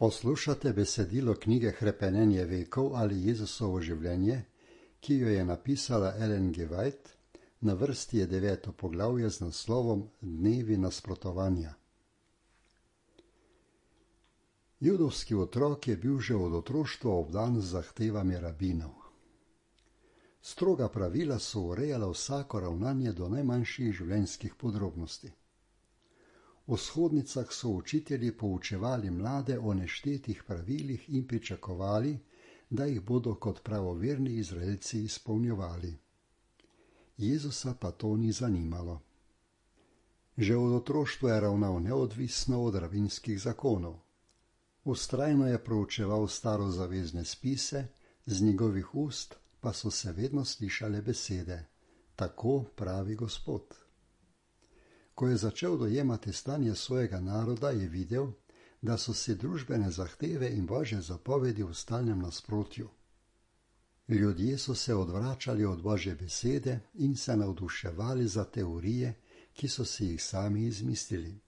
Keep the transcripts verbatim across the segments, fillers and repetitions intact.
Poslušate besedilo knjige Hrepenenje vekov ali Jezusovo življenje, ki jo je napisala Ellen G. White, na vrsti je deveto poglavje z naslovom Dnevi nasprotovanja. Judovski otrok je bil že od otroštva obdan z zahtevami rabinov. Stroga pravila so urejala vsako ravnanje do najmanjših življenjskih podrobnosti. V shodnicah so učitelji poučevali mlade o neštetih pravilih in pričakovali, da jih bodo kot pravoverni Izraelci izpolnjevali. Jezusa pa to ni zanimalo. Že od otroštva je ravnal neodvisno od rabinskih zakonov. Vztrajno je proučeval starozavezne spise, z njegovih ust pa so se vedno slišale besede: tako pravi Gospod. Ko je začel dojemati stanje svojega naroda, je videl, da so si družbene zahteve in Božje zapovedi v stalnem nasprotju. Ljudje so se odvračali od Božje besede in se navduševali za teorije, ki so si jih sami izmislili.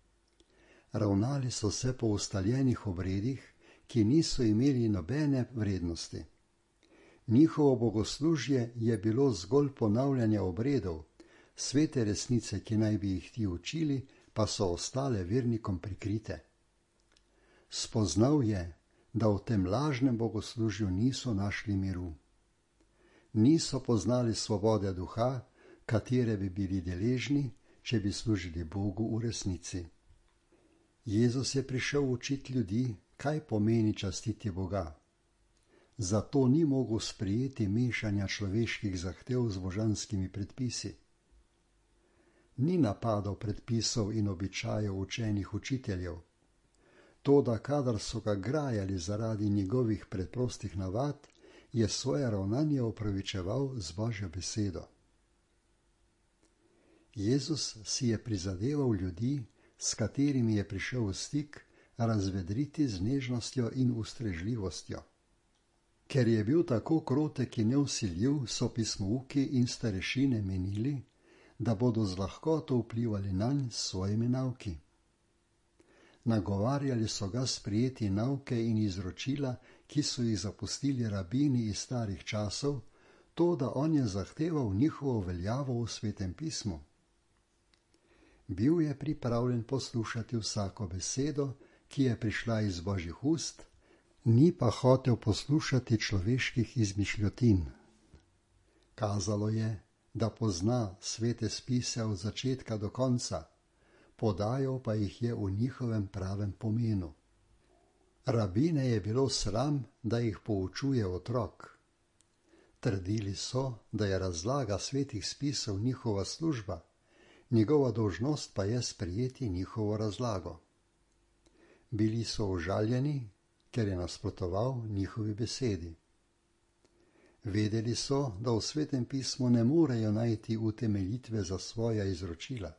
Ravnali so se po ustaljenih obredih, ki niso imeli nobene vrednosti. Njihovo bogoslužje je bilo zgolj ponavljanje obredov, svete resnice, ki naj bi jih ti učili, pa so ostale vernikom prikrite. Spoznal je, da v tem lažnem bogoslužju niso našli miru. Niso poznali svobode duha, katere bi bili deležni, če bi služili Bogu v resnici. Jezus je prišel učiti ljudi, kaj pomeni častiti Boga. Zato ni mogel sprejeti mešanja človeških zahtev z božanskimi predpisi. Ni napadal predpisov in običajev učenih učiteljev. Toda kadar so ga grajali zaradi njegovih preprostih navad, je svoje ravnanje opravičeval z Božjo besedo. Jezus si je prizadeval ljudi, s katerimi je prišel v stik, razvedriti z nežnostjo in ustrežljivostjo. Ker je bil tako krotek in nevsiljiv, so pismouki in starešine menili, da bodo z lahkoto vplivali nanj s svojimi nauki. Nagovarjali so ga sprejeti nauke in izročila, ki so jih zapustili rabini iz starih časov, to, da on je zahteval njihovo veljavo v Svetem pismu. Bil je pripravljen poslušati vsako besedo, ki je prišla iz Božjih ust, ni pa hotel poslušati človeških izmišljotin. Kazalo je, da pozna svete spise od začetka do konca, podajal pa jih je v njihovem pravem pomenu. Rabine je bilo sram, da jih poučuje otrok. Trdili so, da je razlaga svetih spisov njihova služba, njegova dolžnost pa je sprejeti njihovo razlago. Bili so užaljeni, ker je nasprotoval njihovi besedi. Vedeli so, da v Svetem pismu ne morejo najti utemeljitve za svoja izročila.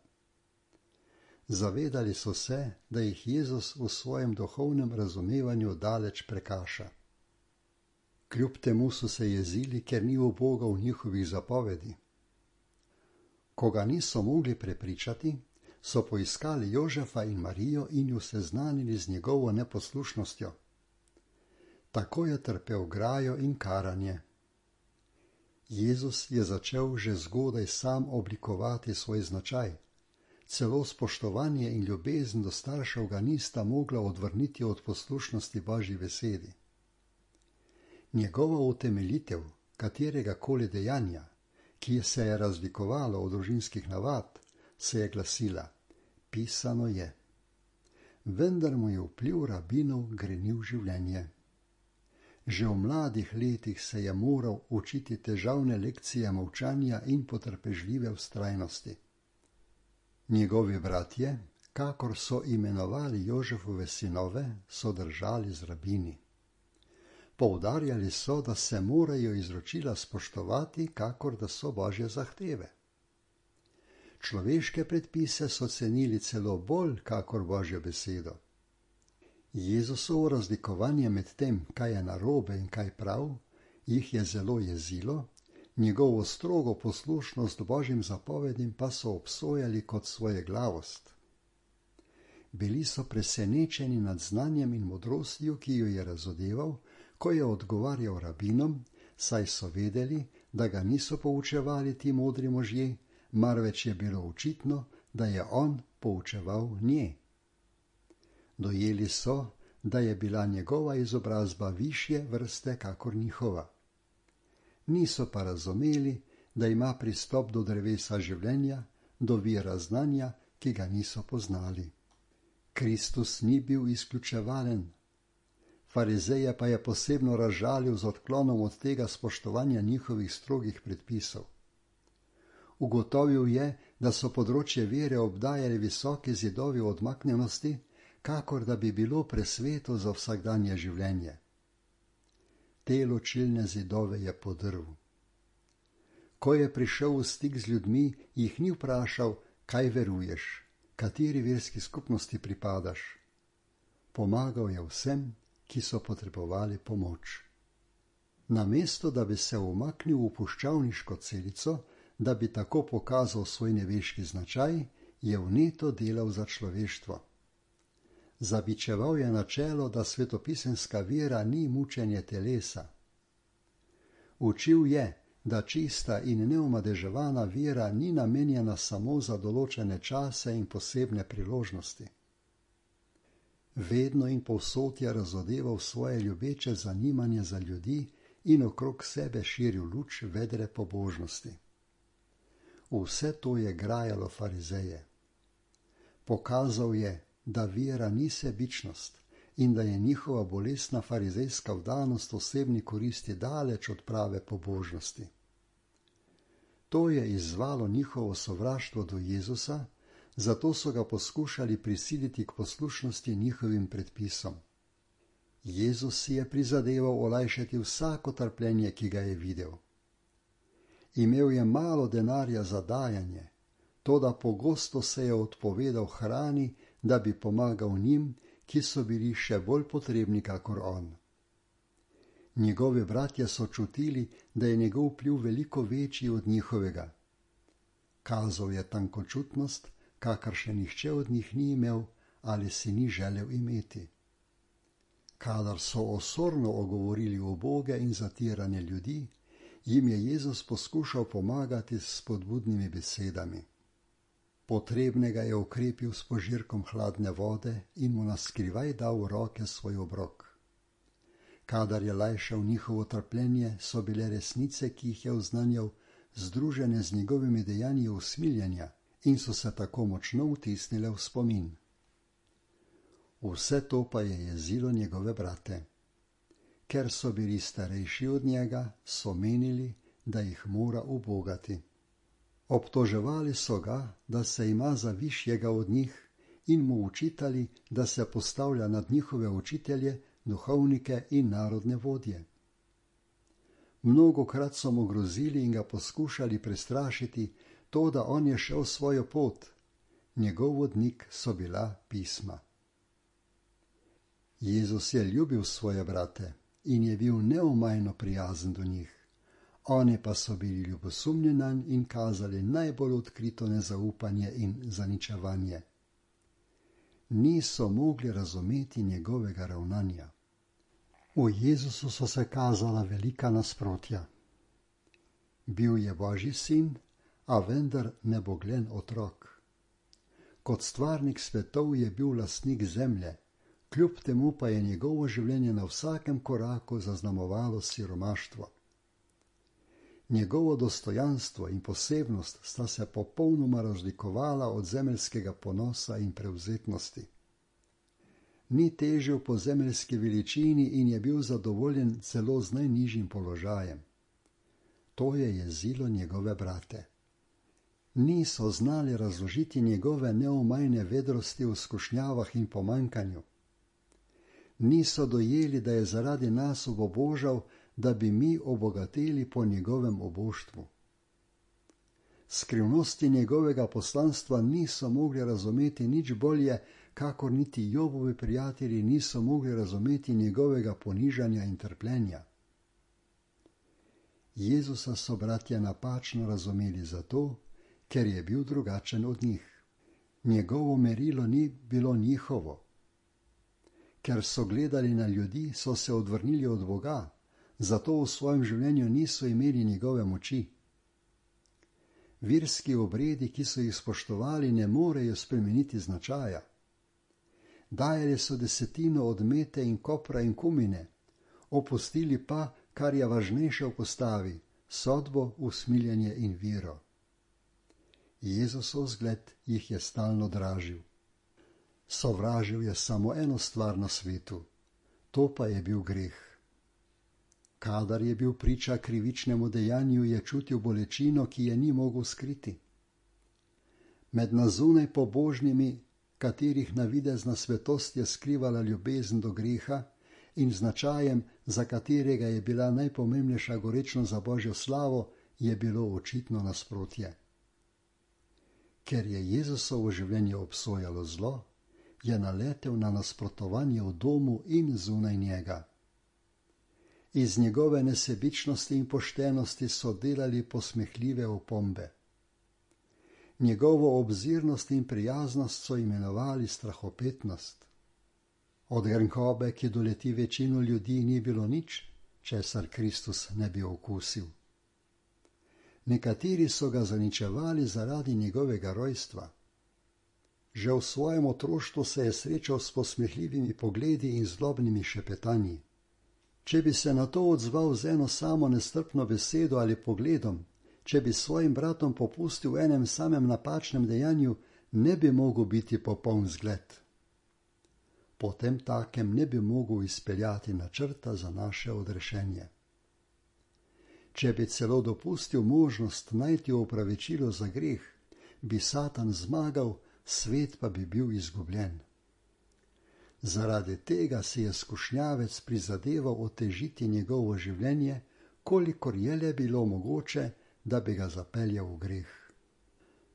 Zavedali so se, da jih Jezus v svojem duhovnem razumevanju daleč prekaša. Kljub temu so se jezili, ker ni ubogal njihovih zapovedi. Ko ga niso mogli prepričati, so poiskali Jožefa in Marijo in ju seznanili z njegovo neposlušnostjo. Tako je trpel grajo in karanje. Jezus je začel že zgodaj sam oblikovati svoj značaj. Celo spoštovanje in ljubezen do staršev ga nista mogla odvrniti od poslušnosti Božji besedi. Njegova utemeljitev katerega koli dejanja, ki se je razlikovalo od družinskih navad, se je glasila: pisano je. Vendar mu je vpliv rabinov grenil življenje. Že v mladih letih se je moral učiti težavne lekcije molčanja in potrpežljive vztrajnosti. Njegovi bratje, kakor so imenovali Jožefove sinove, so držali z rabini. Poudarjali so, da se morajo izročila spoštovati, kakor da so Božje zahteve. Človeške predpise so cenili celo bolj, kakor Božjo besedo. Jezusovo razlikovanje med tem, kaj je narobe in kaj prav, jih je zelo jezilo, njegovo strogo poslušnost Božjim zapovedim pa so obsojali kot svojeglavost. Bili so presenečeni nad znanjem in modrostjo, ki jo je razodeval, ko je odgovarjal rabinom, saj so vedeli, da ga niso poučevali ti modri možje, marveč je bilo očitno, da je on poučeval nje. Dojeli so, da je bila njegova izobrazba višje vrste kakor njihova. Niso pa razumeli, da ima pristop do drevesa življenja, do vira znanja, ki ga niso poznali. Kristus ni bil izključevalen. Farizeje pa je posebno razžalil z odklonom od tega spoštovanja njihovih strogih predpisov. Ugotovil je, da so področje vere obdajali visoki zidovi odmaknjenosti, kakor da bi bilo presveto za vsakdanje življenje. Te ločilne zidove je podrl. Ko je prišel v stik z ljudmi, jih ni vprašal, kaj veruješ, kateri verski skupnosti pripadaš. Pomagal je vsem, ki so potrebovali pomoč. Namesto, da bi se umaknil v puščavniško celico, da bi tako pokazal svoj neveški značaj, je vneto delal za človeštvo. Zabičeval je načelo, da svetopisemska vera ni mučenje telesa. Učil je, da čista in neomadeževana vera ni namenjena samo za določene čase in posebne priložnosti. Vedno in povsod je razodeval svoje ljubeče zanimanje za ljudi in okrog sebe širil luč vedre pobožnosti. Vse to je grajalo farizeje. Pokazal je, da vera ni sebičnost in da je njihova bolestna farizejska vdanost osebni koristi daleč od prave pobožnosti. To je izzvalo njihovo sovraštvo do Jezusa, zato so ga poskušali prisiliti k poslušnosti njihovim predpisom. Jezus si je prizadeval olajšati vsako trpljenje, ki ga je videl. Imel je malo denarja za dajanje, toda pogosto se je odpovedal hrani, da bi pomagal njim, ki so bili še bolj potrebni kakor on. Njegovi bratje so čutili, da je njegov vpliv veliko večji od njihovega. Kazal je tankočutnost, kakor še nihče od njih ni imel ali si ni želel imeti. Kadar so osorno ogovorili uboge in zatirane ljudi, jim je Jezus poskušal pomagati s spodbudnimi besedami. Potrebnega je ukrepil s požirkom hladne vode in mu naskrivaj dal v roke svoj obrok. Kadar je lajšal njihovo trpljenje, so bile resnice, ki jih je oznanjal, združene z njegovimi dejanji usmiljenja in so se tako močno vtisnile v spomin. Vse to pa je jezilo njegove brate. Ker so bili starejši od njega, so menili, da jih mora ubogati. Obtoževali so ga, da se ima za višjega od njih in mu učitali, da se postavlja nad njihove učitelje, duhovnike in narodne vodje. Mnogokrat so mu grozili in ga poskušali prestrašiti, to, da on je šel svojo pot. Njegov vodnik so bila pisma. Jezus je ljubil svoje brate in je bil neomajno prijazen do njih. Oni pa so bili ljubosumni nanj in kazali najbolj odkrito nezaupanje in zaničevanje. Niso mogli razumeti njegovega ravnanja. V Jezusu so se kazala velika nasprotja. Bil je Božji sin, a vendar neboglen otrok. Kot stvarnik svetov je bil lastnik zemlje, kljub temu pa je njegovo življenje na vsakem koraku zaznamovalo siromaštvo. Njegovo dostojanstvo in posebnost sta se popolnoma razlikovala od zemeljskega ponosa in prevzetnosti. Ni težil po zemeljski veličini in je bil zadovoljen celo z najnižjim položajem. To je jezilo njegove brate. Niso znali razložiti njegove neomajne vedrosti v skušnjavah in pomanjkanju. Niso dojeli, da je zaradi nas obožal, da bi mi obogateli po njegovem oboštvu. Skrivnosti njegovega poslanstva niso mogli razumeti nič bolje, kakor niti Jobovi prijatelji niso mogli razumeti njegovega ponižanja in trpljenja. Jezusa so bratje napačno razumeli zato, ker je bil drugačen od njih. Njegovo merilo ni bilo njihovo. Ker so gledali na ljudi, so se odvrnili od Boga, zato v svojem življenju niso imeli njegove moči. Verski obredi, ki so jih spoštovali, ne morejo spremeniti značaja. Dajali so desetino od mete in kopra in kumine, opustili pa, kar je važnejše v postavi, sodbo, usmiljenje in vero. Jezusov zgled jih je stalno dražil. Sovražil je samo eno stvar na svetu, to pa je bil greh. Kadar je bil priča krivičnemu dejanju, je čutil bolečino, ki je ni mogel skriti. Med nazunaj pobožnimi, katerih navidezna svetost je skrivala ljubezen do greha in značajem, za katerega je bila najpomembnejša gorečnost za Božjo slavo, je bilo očitno nasprotje. Ker je Jezusovo življenje obsojalo zlo, je naletel na nasprotovanje v domu in zunaj njega. Iz njegove nesebičnosti in poštenosti so delali posmehljive opombe. Njegovo obzirnost in prijaznost so imenovali strahopetnost. Od grenkobe, ki doleti večino ljudi, ni bilo nič, česar Kristus ne bi okusil. Nekateri so ga zaničevali zaradi njegovega rojstva. Že v svojem otroštvu se je srečal s posmehljivimi pogledi in zlobnimi šepetanji. Če bi se na to odzval z eno samo nestrpno besedo ali pogledom, če bi svojim bratom popustil v enem samem napačnem dejanju, ne bi mogel biti popoln zgled. Potem takem ne bi mogel izpeljati načrta za naše odrešenje. Če bi celo dopustil možnost najti opravičilo za greh, bi Satan zmagal, svet pa bi bil izgubljen. Zaradi tega si je skušnjavec prizadeval otežiti njegovo življenje, kolikor je le bilo mogoče, da bi ga zapeljal v greh.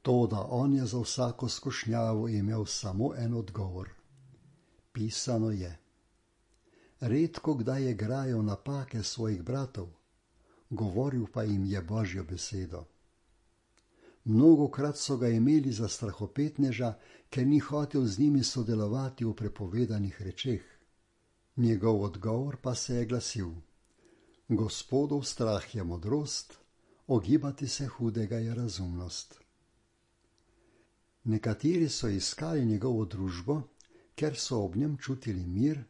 Toda on je za vsako skušnjavo imel samo en odgovor. Pisano je. Redko kdaj je grajal napake svojih bratov, govoril pa jim je Božjo besedo. Mnogokrat so ga imeli za strahopetneža, ker ni hotel z njimi sodelovati v prepovedanih rečeh. Njegov odgovor pa se je glasil: Gospodov strah je modrost, ogibati se hudega je razumnost. Nekateri so iskali njegovo družbo, ker so ob njem čutili mir,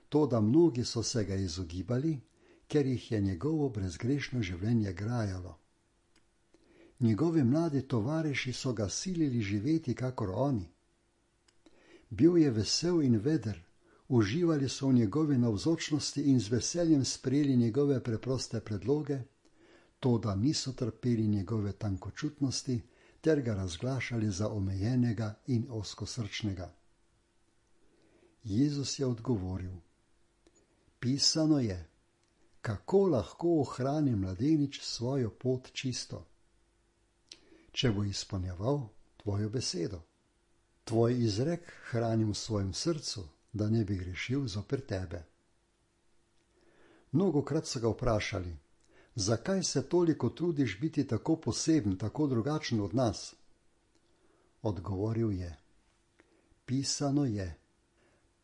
toda mnogi so se ga izogibali, ker jih je njegovo brezgrešno življenje grajalo. Njegovi mladi tovariši so ga silili živeti kakor oni. Bil je vesel in veder, uživali so v njegovi navzočnosti in z veseljem sprejeli njegove preproste predloge, toda niso trpeli njegove tankočutnosti ter ga razglašali za omejenega in ozkosrčnega. Jezus je odgovoril: Pisano je, kako lahko ohrani mladenič svojo pot čisto, če bo izpolnjeval tvojo besedo. Tvoj izrek hranim v svojem srcu, da ne bi grešil zoper tebe. Mnogokrat so ga vprašali: zakaj se toliko trudiš biti tako poseben, tako drugačen od nas? Odgovoril je: Pisano je,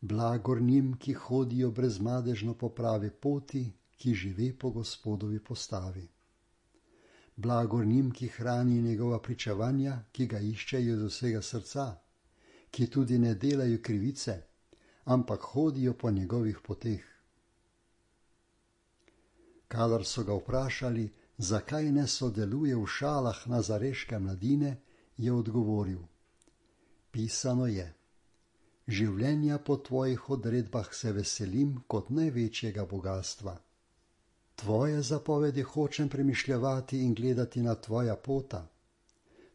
blagor njim, ki hodijo brezmadežno po pravi poti, ki živi po Gospodovi postavi. Blagor njim, ki hrani njegova pričevanja, ki ga iščejo iz vsega srca, ki tudi ne delajo krivice, ampak hodijo po njegovih poteh. Kadar so ga vprašali, zakaj ne sodeluje v šalah nazareške mladine, je odgovoril: Pisano je, življenja po tvojih odredbah se veselim kot največjega bogastva. Tvoje zapovedi hočem premišljevati in gledati na tvoja pota.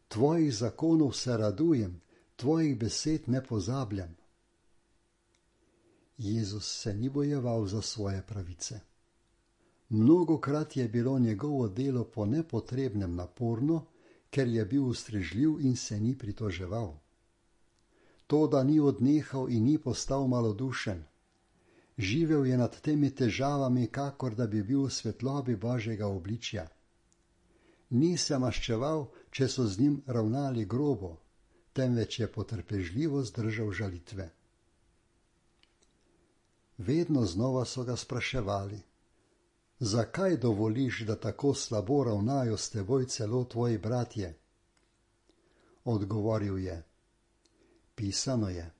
Tvojih zakonov se radujem, tvojih besed ne pozabljam. Jezus se ni bojeval za svoje pravice. Mnogokrat je bilo njegovo delo po nepotrebnem naporno, ker je bil ustrežljiv in se ni pritoževal. Toda ni odnehal in ni postal malodušen. Živel je nad temi težavami, kakor da bi bil v svetlobi Božjega obličja. Ni se maščeval, če so z njim ravnali grobo, temveč je potrpežljivo zdržal žalitve. Vedno znova so ga spraševali: zakaj dovoliš, da tako slabo ravnajo s teboj celo tvoji bratje? Odgovoril je: pisano je,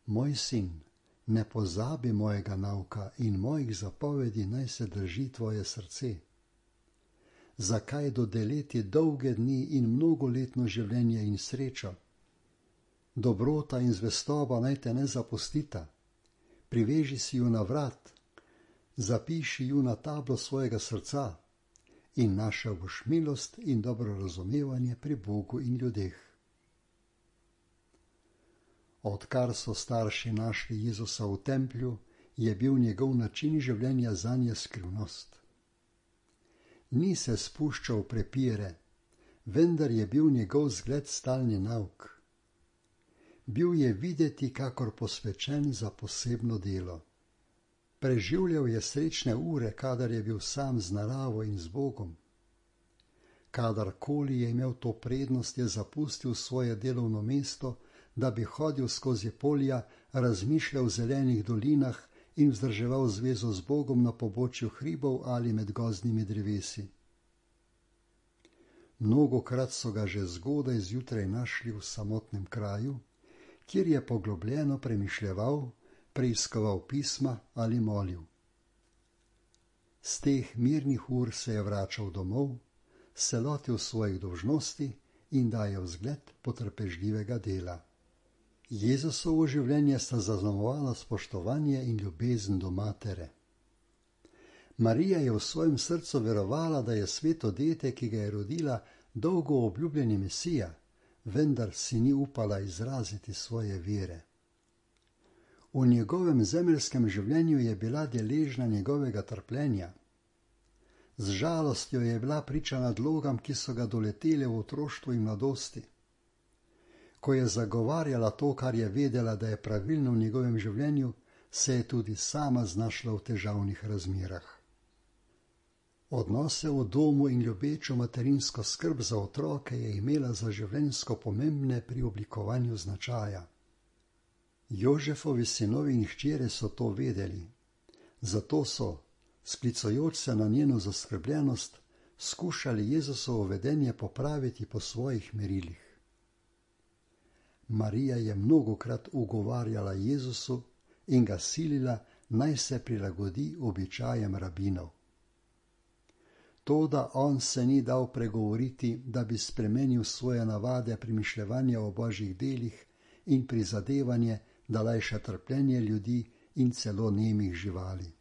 moj sin, ne pozabi mojega nauka in mojih zapovedi naj se drži tvoje srce. Zakaj dodeliti dolge dni in mnogoletno življenje in srečo? Dobrota in zvestoba naj te ne zapustita. Priveži si ju na vrat, zapiši ju na tablo svojega srca in našel boš milost in dobro razumevanje pri Bogu in ljudeh. Odkar so starši našli Jezusa v templju, je bil njegov način življenja zanje skrivnost. Ni se spuščal v prepire, vendar je bil njegov zgled stalni nauk. Bil je videti kakor posvečen za posebno delo. Preživljal je srečne ure, kadar je bil sam z naravo in z Bogom. Kadarkoli je imel to prednost, je zapustil svoje delovno mesto, da bi hodil skozi polja, razmišljal v zelenih dolinah in vzdrževal zvezo z Bogom na pobočju hribov ali med gozdnimi drevesi. Mnogokrat so ga že zgodaj zjutraj našli v samotnem kraju, kjer je poglobljeno premišljeval, preiskoval pisma ali molil. Z teh mirnih ur se je vračal domov, se lotil svojih dolžnosti in dajal zgled potrpežljivega dela. Jezusovo življenje sta zaznamovala spoštovanje in ljubezen do matere. Marija je v svojem srcu verovala, da je sveto dete, ki ga je rodila, dolgo obljubljeni Mesija, vendar si ni upala izraziti svoje vere. V njegovem zemeljskem življenju je bila deležna njegovega trpljenja. Z žalostjo je bila priča nadlogam, ki so ga doletele v otroštvu in mladosti. Ko je zagovarjala to, kar je vedela, da je pravilno v njegovem življenju, se je tudi sama znašla v težavnih razmerah. Odnose v domu in ljubečo materinsko skrb za otroke je imela za življenjsko pomembne pri oblikovanju značaja. Jožefovi sinovi in hčere so to vedeli, zato so, sklicujoč se na njeno zaskrbljenost, skušali Jezusovo vedenje popraviti po svojih merilih. Marija je mnogokrat ugovarjala Jezusu in ga silila, naj se prilagodi običajem rabinov. Toda on se ni dal pregovoriti, da bi spremenil svoje navade premišljevanja o božjih delih in prizadevanje, da lajša trpljenje ljudi in celo nemih živali.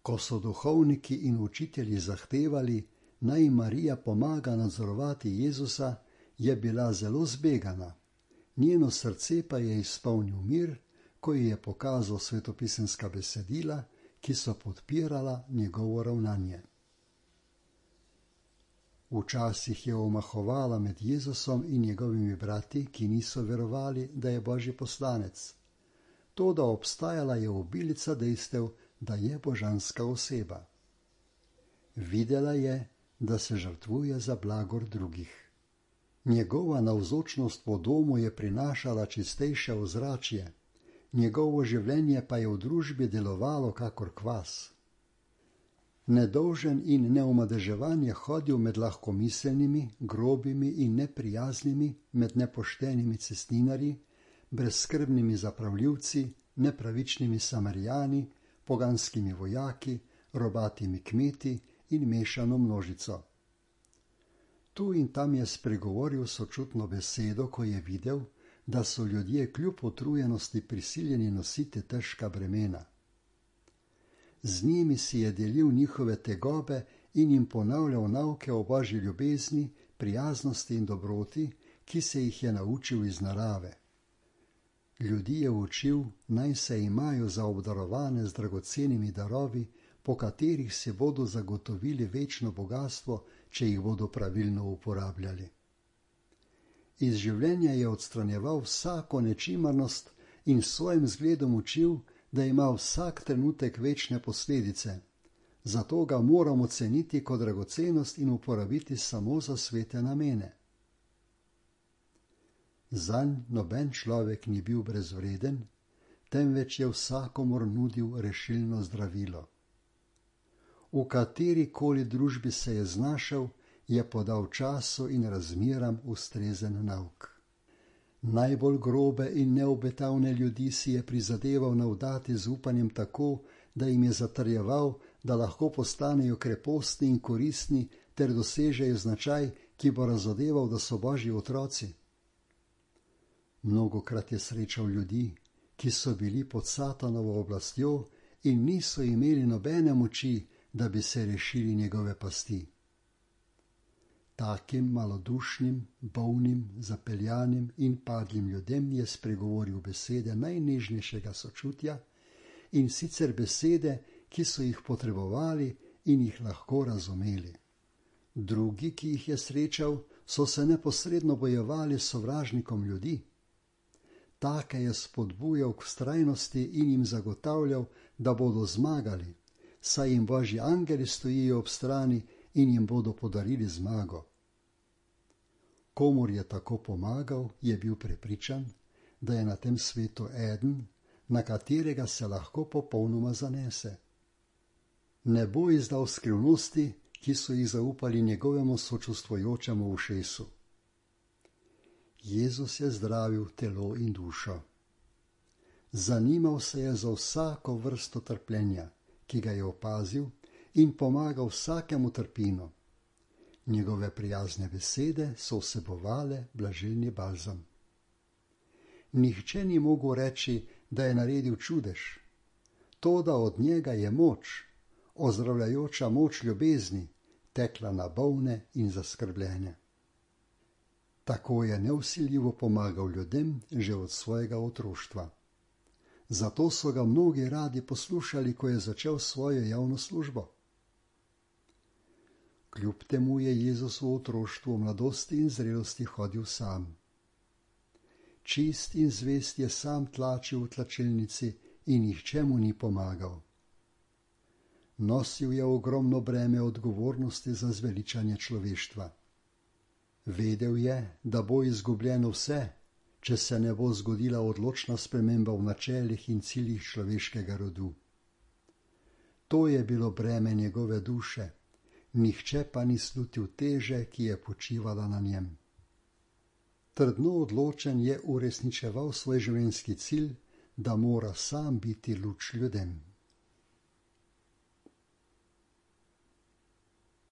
Ko so duhovniki in učitelji zahtevali, naj Marija pomaga nadzorovati Jezusa, je bila zelo zbegana. Njeno srce pa je izpolnil mir, ko ji je pokazal svetopisemska besedila, ki so podpirala njegovo ravnanje. Včasih je omahovala med Jezusom in njegovimi brati, ki niso verovali, da je božji poslanec. Toda obstajala je obilica dejstev, da je božanska oseba. Videla je, da se žrtvuje za blagor drugih. Njegova navzočnost po domu je prinašala čistejše ozračje, njegovo življenje pa je v družbi delovalo kakor kvas. Nedolžen in neomadeževan je hodil med lahkomiselnimi, grobimi in neprijaznimi, med nepoštenimi cestninarji, brezskrbnimi zapravljivci, nepravičnimi Samarijani, poganskimi vojaki, robatimi kmeti in mešano množico. Tu in tam je spregovoril sočutno besedo, ko je videl, da so ljudje kljub utrujenosti prisiljeni nositi težka bremena. Z njimi si je delil njihove tegobe in jim ponavljal nauke o božji ljubezni, prijaznosti in dobroti, ki se jih je naučil iz narave. Ljudi je učil, naj se imajo za obdarovane z dragocenimi darovi, po katerih se bodo zagotovili večno bogatstvo, če jih bodo pravilno uporabljali. Iz življenja je odstranjeval vsako nečimarnost in s svojim zgledom učil, da ima vsak trenutek večne posledice, zato ga moramo ceniti kot dragocenost in uporabiti samo za svete namene. Zanj noben človek ni bil brezvreden, temveč je vsakomur nudil rešilno zdravilo. V katerikoli družbi se je znašel, je podal času in razmeram ustrezen nauk. Najbolj grobe in neobetavne ljudi si je prizadeval navdati z upanjem tako, da jim je zatrjeval, da lahko postanejo krepostni in koristni ter dosežejo značaj, ki bo razodeval, da so Božji otroci. Mnogokrat je srečal ljudi, ki so bili pod Satanovo oblastjo in niso imeli nobene moči, da bi se rešili njegove pasti. Takim malodušnim, bolnim, zapeljanim in padlim ljudem je spregovoril besede najnežnejšega sočutja, in sicer besede, ki so jih potrebovali in jih lahko razumeli. Drugi, ki jih je srečal, so se neposredno bojevali s sovražnikom ljudi. Take je spodbujal k vztrajnosti in jim zagotavljal, da bodo zmagali, saj jim Božji angeli stojijo ob strani in jim bodo podarili zmago. Komur je tako pomagal, je bil prepričan, da je na tem svetu eden, na katerega se lahko popolnoma zanese. Ne bo izdal skrivnosti, ki so jih zaupali njegovemu sočustvujočemu ušesu. Jezus je zdravil telo in dušo. Zanimal se je za vsako vrsto trpljenja, ki ga je opazil, in pomagal vsakemu trpinu. Njegove prijazne besede so vsebovale blažilni balzam. Nihče ni mogel reči, da je naredil čudež. Toda od njega je moč, ozdravljajoča moč ljubezni, tekla na bolne in zaskrbljene. Tako je nevsiljivo pomagal ljudem že od svojega otroštva. Zato so ga mnogi radi poslušali, ko je začel svojo javno službo. Kljub temu je Jezus v otroštvu, mladosti in zrelosti hodil sam. Čist in zvest je sam tlačil v tlačilnici in nihče mu ni pomagal. Nosil je ogromno breme odgovornosti za zveličanje človeštva. Vedel je, da bo izgubljeno vse, če se ne bo zgodila odločna sprememba v načelih in ciljih človeškega rodu. To je bilo breme njegove duše, nihče pa ni slutil teže, ki je počivala na njem. Trdno odločen je uresničeval svoj življenjski cilj, da mora sam biti luč ljudem.